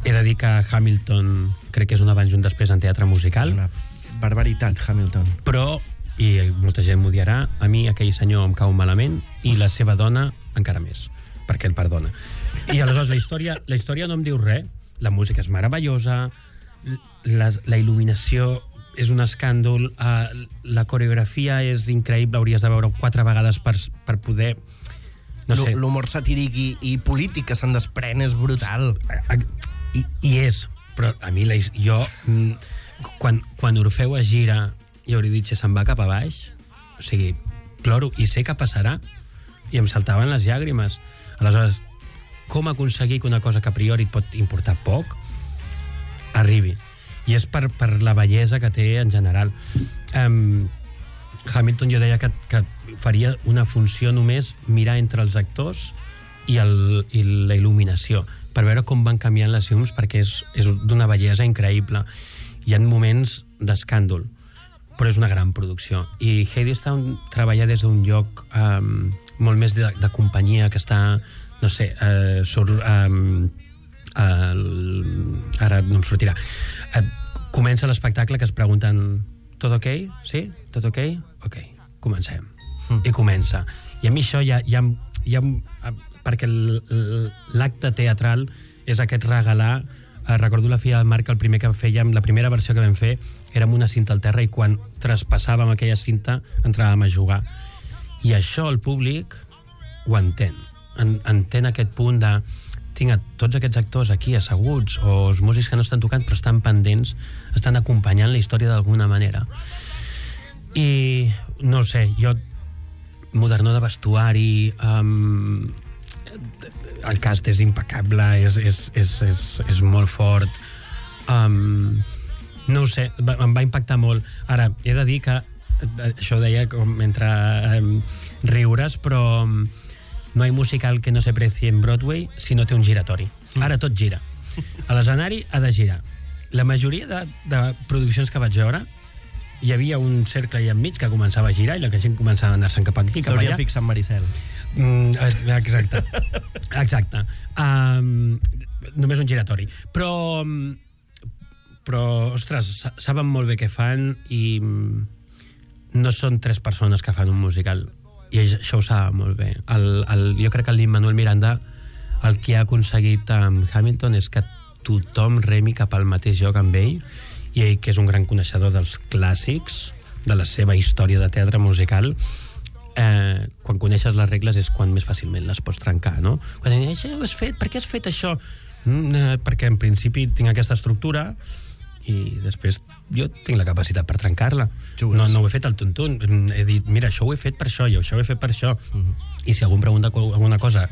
He de dir que Hamilton crec que és un abans i un després en teatre musical. És una barbaritat, Hamilton. Però, i molta gent m'ho dirà, a mi aquell senyor em cau malament i la seva dona encara més, perquè el perdona. I aleshores la història no em diu res, la música és meravellosa, la il·luminació és un escàndol, la coreografia és increïble, hauries de veure 4 vegades per poder... No sé. L'humor satíric i polític que se'n desprèn és brutal. I és, però a mi quan Orfeu es gira i Eurídice se'n va cap a baix, o sigui, ploro i sé què passarà i em saltaven les llàgrimes. Aleshores, com aconseguir que una cosa que a priori et pot importar poc arribi? I és per la bellesa que té en general. Hamilton jo deia que faria una funció només mirar entre els actors i la il·luminació, per veure com van canviant les llums, perquè és d'una bellesa increïble. Hi ha moments d'escàndol, però és una gran producció. I Hadestown treballa des d'un lloc molt més de companyia, que està, no sé, ara no em sortirà. Comença l'espectacle que es pregunten tot ok? Sí? Tot ok? Ok, comencem. I comença. I a mi això ja perquè l'acte teatral és aquest regalar. Recordo la Filla del Mar, que el primer que fèiem, la primera versió que vam fer era amb una cinta al terra i quan traspassàvem aquella cinta entràvem a jugar. I això el públic ho entén. Entén aquest punt de tinc tots aquests actors aquí asseguts o els músics que no estan tocant però estan pendents, estan acompanyant la història d'alguna manera. I no sé, jo modernor de vestuari, el cast és impecable, és molt fort, no ho sé, em va impactar molt. Ara, he de dir que això ho deia com entre riures, però no hi ha musical que no se precie en Broadway si no té un giratori. Ara tot gira. A l'escenari ha de girar. La majoria de produccions que vaig veure hi havia un cercle allà enmig que començava a girar i la gent començava a anar-se'n cap aquí, cap allà. S'hauria fixat en Maricel. Exacte. Només un giratori. Però, ostres, saben molt bé què fan i no són 3 persones que fan un musical. I això ho saben molt bé. Jo crec que el Lin-Manuel Miranda el que ha aconseguit amb Hamilton és que tothom remi cap al mateix lloc amb ell, i ell, que és un gran coneixedor dels clàssics, de la seva història de teatre musical, quan coneixes les regles és quan més fàcilment les pots trencar, no? Quan dius, per què has fet això? Perquè en principi tinc aquesta estructura i després jo tinc la capacitat per trencar-la. No ho he fet al tuntun. He dit, mira, això ho he fet per això i això ho he fet per això. I si algú em pregunta alguna cosa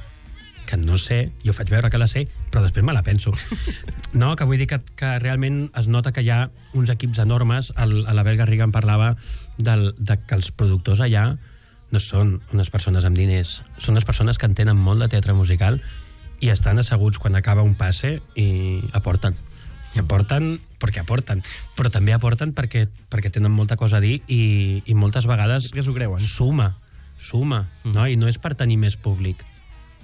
que que no sé, jo faig veure que la sé, però després me la penso. No, que vull dir que realment es nota que hi ha uns equips enormes. A l'Abel Garriga em parlava de que els productors allà no són unes persones amb diners, són unes persones que entenen molt de teatre musical i estan asseguts quan acaba un passe i aporten. I aporten perquè aporten, però també aporten perquè tenen molta cosa a dir i moltes vegades suma, no? I no és per tenir més públic,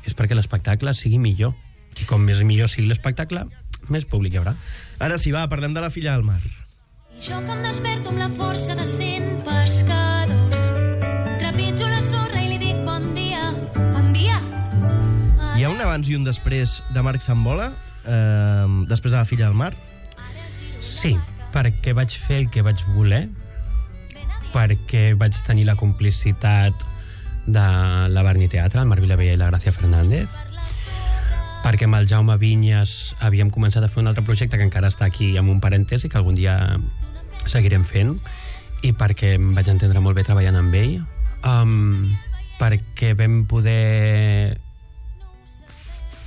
és perquè l'espectacle sigui millor. I com més millor sigui l'espectacle, més públic hi haurà. Ara sí, va, parlem de La filla del mar. I jo que em desperto amb la força de 100 pescadors, trepitjo la sorra i li dic bon dia, bon dia. Hi ha un abans i un després de Marc Sambola, després de La filla del mar? Sí, perquè vaig fer el que vaig voler, perquè vaig tenir la complicitat de la Barni Teatre, el Marc Vilavella i la Gràcia Fernández, perquè amb el Jaume Vinyes havíem començat a fer un altre projecte que encara està aquí amb un parèntesi, que algun dia seguirem fent, i perquè em vaig entendre molt bé treballant amb ell, perquè vam poder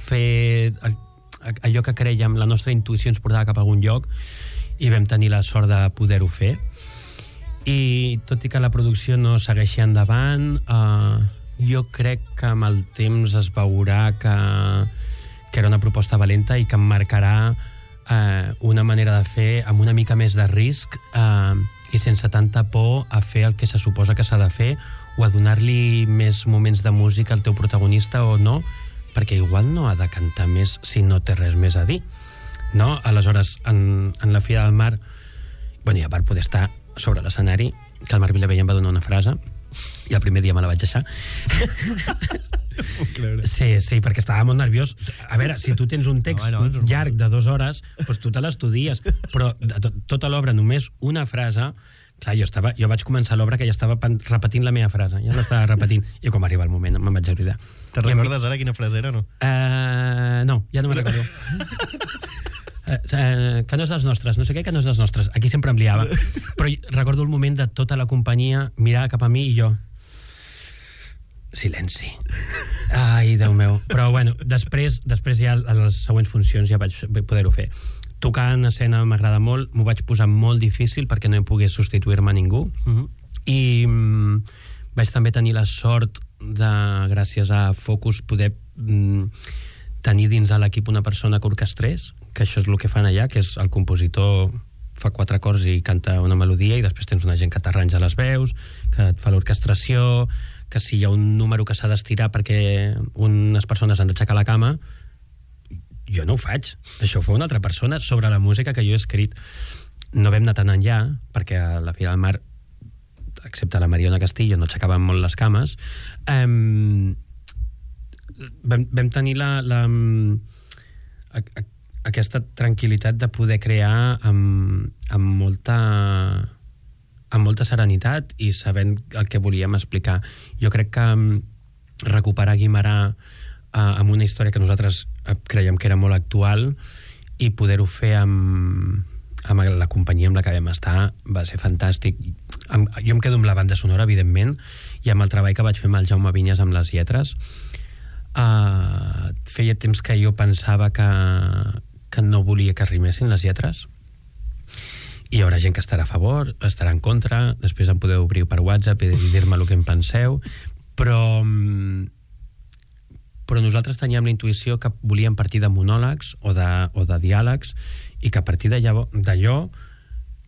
fer allò que creiem, la nostra intuïció ens portava cap a algun lloc i vam tenir la sort de poder-ho fer. I tot i que la producció no segueixi endavant, jo crec que amb el temps es veurà que era una proposta valenta i que em marcarà una manera de fer amb una mica més de risc i sense tanta por a fer el que se suposa que s'ha de fer o a donar-li més moments de música al teu protagonista o no, perquè igual no ha de cantar més si no té res més a dir, no? Aleshores, en La filla del mar, bueno, i a part poder estar sobre l'escenari, que el Marc Vilavella em va donar una frase i el primer dia me la vaig deixar. Sí, perquè estava molt nerviós. A veure, si tu tens un text llarg de 2 hores, doncs tu te l'estudies, però de tota l'obra només una frase. Clar, jo vaig començar l'obra que ja estava repetint la meva frase, ja l'estava repetint, i com arriba el moment me'n vaig oblidar. Te'n recordes ara quina frase era, no? No, ja no me'n recordo. Que no és dels nostres, no sé què, que no és dels nostres. Aquí sempre em liava. Però recordo el moment de tota la companyia mirar cap a mi i jo... Silenci. Ai, Déu meu. Però, bueno, després ja a les següents funcions ja vaig poder-ho fer. Tocar en escena m'agrada molt, m'ho vaig posar molt difícil perquè no em pogués substituir-me a ningú. I vaig també tenir la sort de, gràcies a Focus, poder tenir dins de l'equip una persona que orquestrés, que això és el que fan allà, que és el compositor fa 4 acords i canta una melodia i després tens una gent que t'arranja les veus, que et fa l'orquestració, que si hi ha un número que s'ha d'estirar perquè unes persones han d'aixecar la cama, jo no ho faig. Això ho fa una altra persona sobre la música que jo he escrit. No vam anar tan enllà, perquè a La filla del mar, excepte la Mariona Castillo, no aixecaven molt les cames. Vam tenir aquesta tranquil·litat de poder crear amb molta serenitat i sabent el que volíem explicar. Jo crec que recuperar Guimerà amb una història que nosaltres creiem que era molt actual i poder-ho fer amb la companyia amb la que vam estar va ser fantàstic. Jo em quedo amb la banda sonora, evidentment, i amb el treball que vaig fer amb el Jaume Vinyes amb les lletres. Feia temps que jo pensava que no volia que rimessin les lletres, i hi haurà gent que estarà a favor, estarà en contra, després em podeu obrir per WhatsApp i dir-me el que en penseu, però nosaltres teníem la intuïció que volíem partir de monòlegs o de diàlegs i que a partir d'allò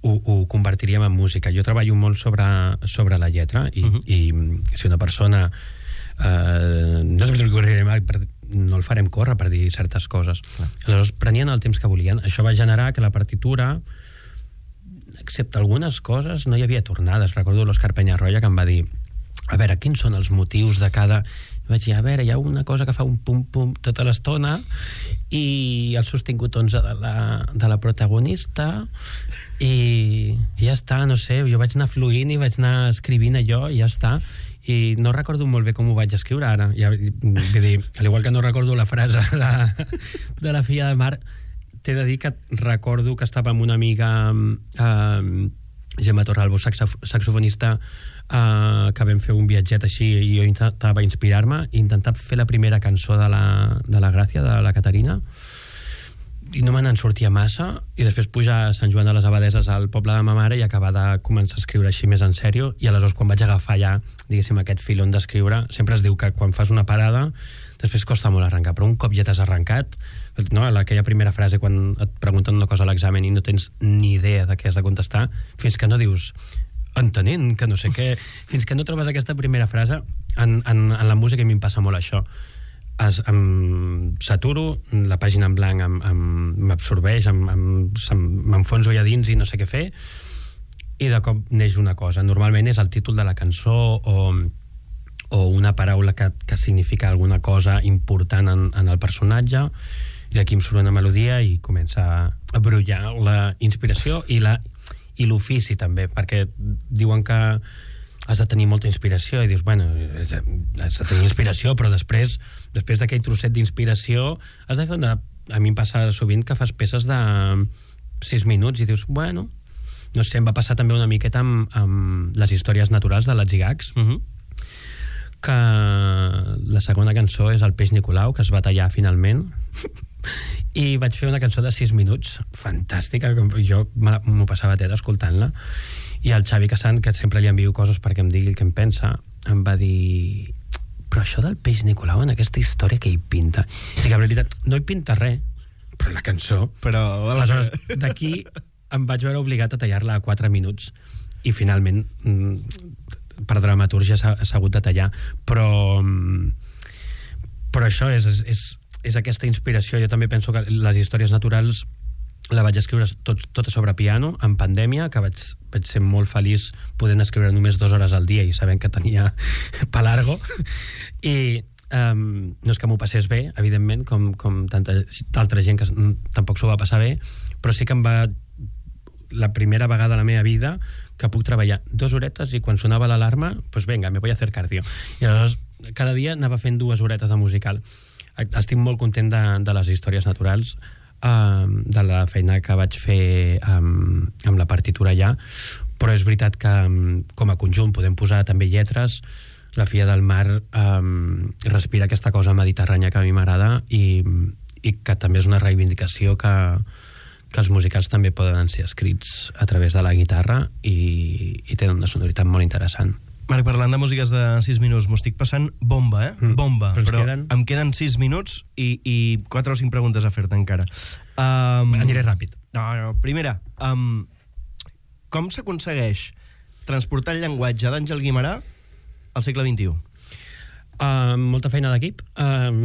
ho convertiríem en música. Jo treballo molt sobre la lletra i si una persona no el farem córrer per dir certes coses. Aleshores prenien el temps que volien. Això va generar que la partitura, excepte algunes coses, no hi havia tornades. Recordo l'Òscar Penyarroia que em va dir, a veure, quins són els motius de cada... I vaig dir, a veure, hi ha una cosa que fa un pum-pum tota l'estona i el sostingut 11 de la protagonista i ja està, no sé, jo vaig anar fluint i vaig anar escrivint allò i ja està. I no recordo molt bé com ho vaig escriure ara. Vull dir, al igual que no recordo la frase de La filla del mar, t'he de dir que recordo que estava amb una amiga, Gemma Torralbo, saxofonista que vam fer un viatget així i jo intentava inspirar-me, intentar fer la primera cançó de la Gràcia, de la Caterina, i no me n'en sortia massa, i després pujar a Sant Joan de les Abadeses al poble de ma mare i acabar de començar a escriure així més en sèrio, i aleshores quan vaig agafar ja, diguéssim, aquest filon d'escriure, sempre es diu que quan fas una parada després costa molt arrencar, però un cop ja t'has arrencat, no? Aquella primera frase quan et pregunten una cosa a l'examen i no tens ni idea de què has de contestar, fins que no dius entenent que no sé què, fins que no trobes aquesta primera frase, en la música a mi em passa molt això. Em saturo, la pàgina en blanc m'absorbeix, m'enfonso allà dins i no sé què fer, i de cop neix una cosa. Normalment és el títol de la cançó o una paraula que significa alguna cosa important en el personatge, i d'aquí em surt una melodia i comença a brollar la inspiració i l'ofici també, perquè diuen que has de tenir molta inspiració i dius, bueno, has de tenir inspiració, però després d'aquell trosset d'inspiració has de fer a mi em passa sovint que fas peces de 6 minuts i dius, bueno, no sé, em va passar també una miqueta amb les històries naturals de l'Atzigacs, que la segona cançó és el Peix Nicolau, que es va tallar finalment, i vaig fer una cançó de 6 minuts fantàstica, jo m'ho passava teta escoltant-la, i el Xavi Casant, que sempre li envio coses perquè em digui el que em pensa, em va dir, però això del Peix Nicolau en aquesta història que hi pinta? I que en realitat no hi pinta res, però la cançó. Però aleshores d'aquí em vaig veure obligat a tallar-la a 4 minuts i finalment per dramatúrgia s'ha hagut de tallar, però això és aquesta inspiració. Jo també penso que les històries naturals la vaig escriure tota sobre piano en pandèmia, que vaig ser molt feliç podent escriure només 2 hores al dia i sabent que tenia pa largo, i no és que m'ho passés bé, evidentment, com tanta altra gent que tampoc s'ho va passar bé, però sí que la primera vegada a la meva vida que puc treballar 2 horetes i quan sonava l'alarma, pues venga, me voy a hacer cardio. I aleshores cada dia anava fent 2 horetes de musical. Estic molt content de les històries naturals, de la feina que vaig fer amb la partitura allà, però és veritat que com a conjunt podem posar també lletres. La Filla del Mar respira aquesta cosa mediterrània que a mi m'agrada i que també és una reivindicació que els musicals també poden ser escrits a través de la guitarra i tenen una sonoritat molt interessant. Marc, parlant de músiques de 6 minuts, m'ho estic passant bomba, bomba. Però em queden 6 minuts i 4 o 5 preguntes a fer-te encara. Aniré ràpid. No. Primera, com s'aconsegueix transportar el llenguatge d'Àngel Guimerà al segle XXI? Amb molta feina d'equip. Amb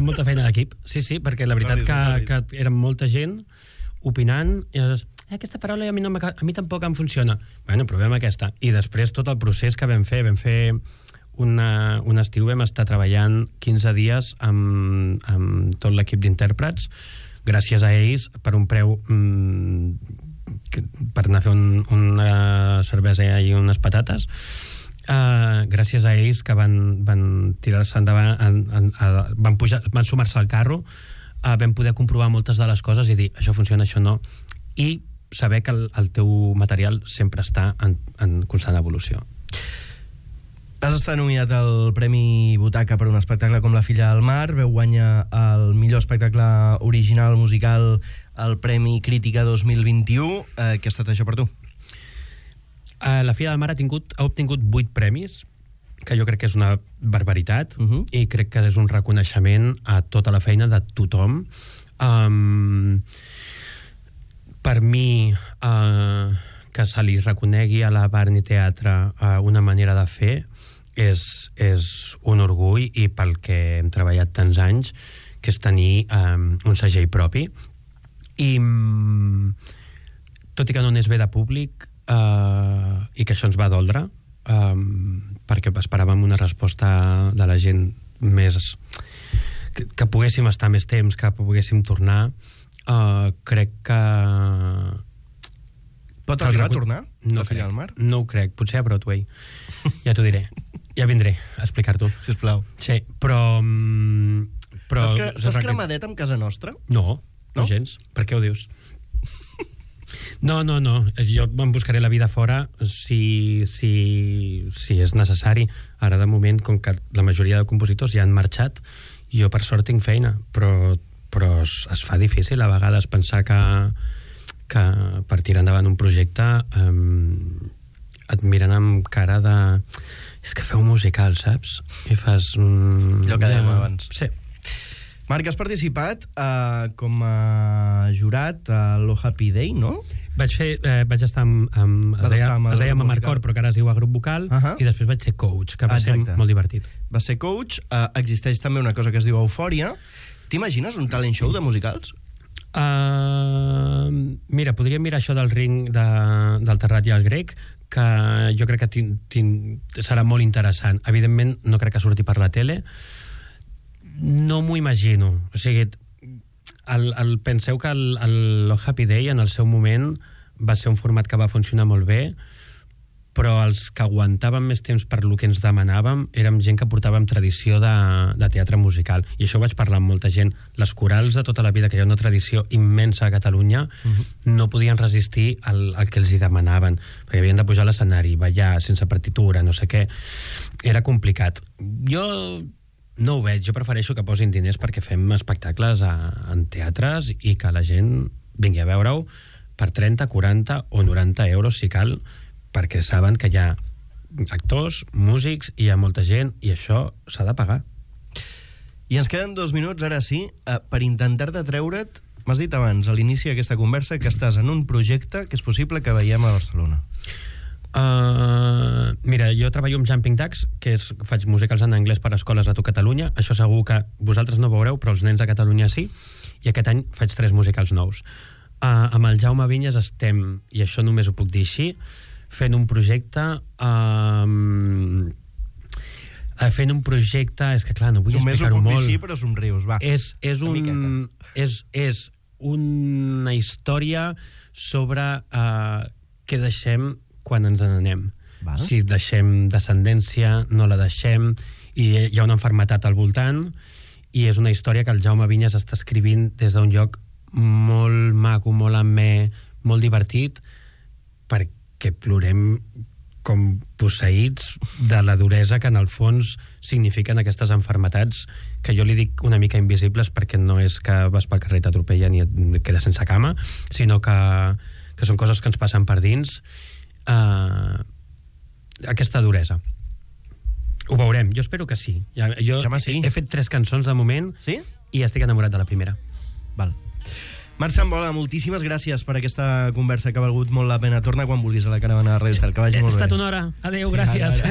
molta feina d'equip, sí, perquè la veritat que eren molta gent opinant i aquesta paraula a mi tampoc em funciona. Bueno, provem aquesta. I després tot el procés que vam fer un estiu vam estar treballant 15 dies amb tot l'equip d'intèrprets, gràcies a ells, per un preu per anar a fer una cervesa i unes patates, gràcies a ells que van tirar-se endavant, van sumar-se al carro, vam poder comprovar moltes de les coses i dir, això funciona, això no, i saber que el teu material sempre està en constant evolució. Has estat nominat al Premi Butaca per un espectacle com La Filla del Mar, veu guanyar el millor espectacle original musical al Premi Crítica 2021. Què ha estat això per tu? La Filla del Mar ha obtingut 8 premis, que jo crec que és una barbaritat, i crec que és un reconeixement a tota la feina de tothom. Per mi, que se li reconegui a la Barni Teatre una manera de fer és un orgull, i pel que hem treballat tants anys, que és tenir un segell propi. I tot i que no n'és bé de públic, i que això ens va doldre, perquè esperàvem una resposta de la gent més... que poguéssim estar més temps, que poguéssim tornar, crec que... Pot arribar a tornar? No crec, no ho crec, potser a Broadway. Ja t'ho diré, ja vindré a explicar-t'ho. Sisplau. Sí, però Estàs cremadet amb casa nostra? No gens. Per què ho dius? No. Jo me'n buscaré la vida fora si és necessari. Ara, de moment, com que la majoria de compositors ja han marxat, jo, per sort, tinc feina. Però es fa difícil a vegades pensar que per tirar endavant un projecte et miren amb cara de... És que feu musical, saps? I fas... Allò que dèiem abans. Sí. Marc, has participat com a jurat a l'O Happy Day, no? Vaig estar es deia Mamarcor, però que ara es diu a grup vocal, i després vaig ser coach, que va ser molt divertit. Va ser coach. Existeix també una cosa que es diu Eufòria. T'imagines un talent show de musicals? Mira, podríem mirar això del ring del Terrat i el Grec, que jo crec que serà molt interessant. Evidentment, no crec que surti per la tele. No m'ho imagino. O sigui, penseu que el Happy Day en el seu moment va ser un format que va funcionar molt bé, però els que aguantàvem més temps per lo que ens demanàvem érem gent que portàvem tradició de teatre musical, i això ho vaig parlar amb molta gent. Les corals de tota la vida, que hi ha una tradició immensa a Catalunya, no podien resistir al que els hi demanaven, perquè havien de pujar a l'escenari, ballar sense partitura, no sé què. Era complicat. Jo no ho veig, jo prefereixo que posin diners perquè fem espectacles en teatres i que la gent vingui a veure-ho per 30, 40 o 90 euros si cal, perquè saben que hi ha actors, músics, i hi ha molta gent, i això s'ha de pagar. I ens queden 2 minuts, ara sí, per intentar-te treure't. M'has dit abans, a l'inici d'aquesta conversa, que estàs en un projecte que és possible que veiem a Barcelona. Mira, jo treballo amb Jumping Ducks, faig musicals en anglès per a escoles a tot Catalunya. Això segur que vosaltres no veureu, però els nens de Catalunya sí, i aquest any faig 3 musicals nous. Amb el Jaume Vinyes estem, i això només ho puc dir així, fent un projecte és que clar, no vull explicar-ho molt. Només ho puc dir així, però somrius, va. És una història sobre què deixem quan ens n'anem. Si deixem descendència, no la deixem, i hi ha una malaltia al voltant, i és una història que el Jaume Vinyes està escrivint des d'un lloc molt maco, molt amè, molt divertit, perquè plorem com posseïts de la duresa que en el fons signifiquen aquestes malalties, que jo li dic una mica invisibles, perquè no és que vas pel carrer, t'atropellen i et quedes sense cama, sinó que són coses que ens passen per dins. Aquesta duresa. Ho veurem, jo espero que sí. Jo he fet 3 cançons de moment, i estic enamorat de la primera. Val. Marc Sambola, moltíssimes gràcies per aquesta conversa, que ha valgut molt la pena. Torna quan vulguis a la caravana de Ràdio Estel, que vagi molt bé. Ha estat una hora. Adéu, gràcies.